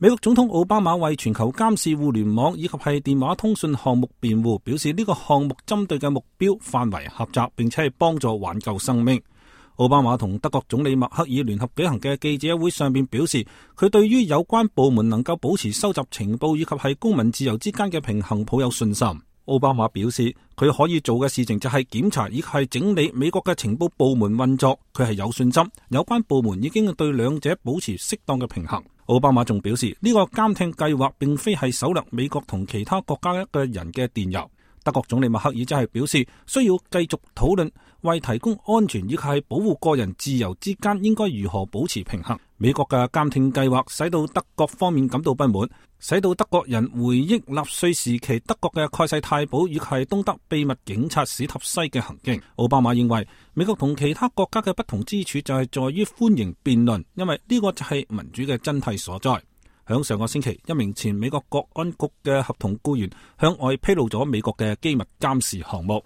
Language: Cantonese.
美國總統奧巴馬為全球監視互聯網以及係電話通訊項目辯護，表示呢個項目針對嘅目標範圍狹窄，並且係幫助挽救生命。奧巴馬同德國總理默克爾聯合舉行嘅記者會上邊表示，佢對於有關部門能夠保持收集情報以及係公民自由之間嘅平衡抱有信心。奧巴馬表示，佢可以做嘅事情就係檢查以及係整理美國嘅情報部門運作，佢係有信心有關部門已經對兩者保持適當嘅平衡。奧巴馬仲表示，呢個監聽計劃並非係搜掠美國同其他國家嘅人嘅電郵。德國總理默克爾則係表示，需要繼續討論為提供安全以及係保護個人自由之間應該如何保持平衡。美國嘅監聽計劃使到德國方面感到不滿，使到德國人回憶納粹時期德國嘅蓋世太保以及係東德秘密警察史塔西嘅行徑。奧巴馬認為美國同其他國家嘅不同之處就係在於歡迎辯論，因為呢個就係民主嘅真諦所在。響上個星期，一名前美國國安局嘅合同僱員向外披露咗美國嘅機密監視項目。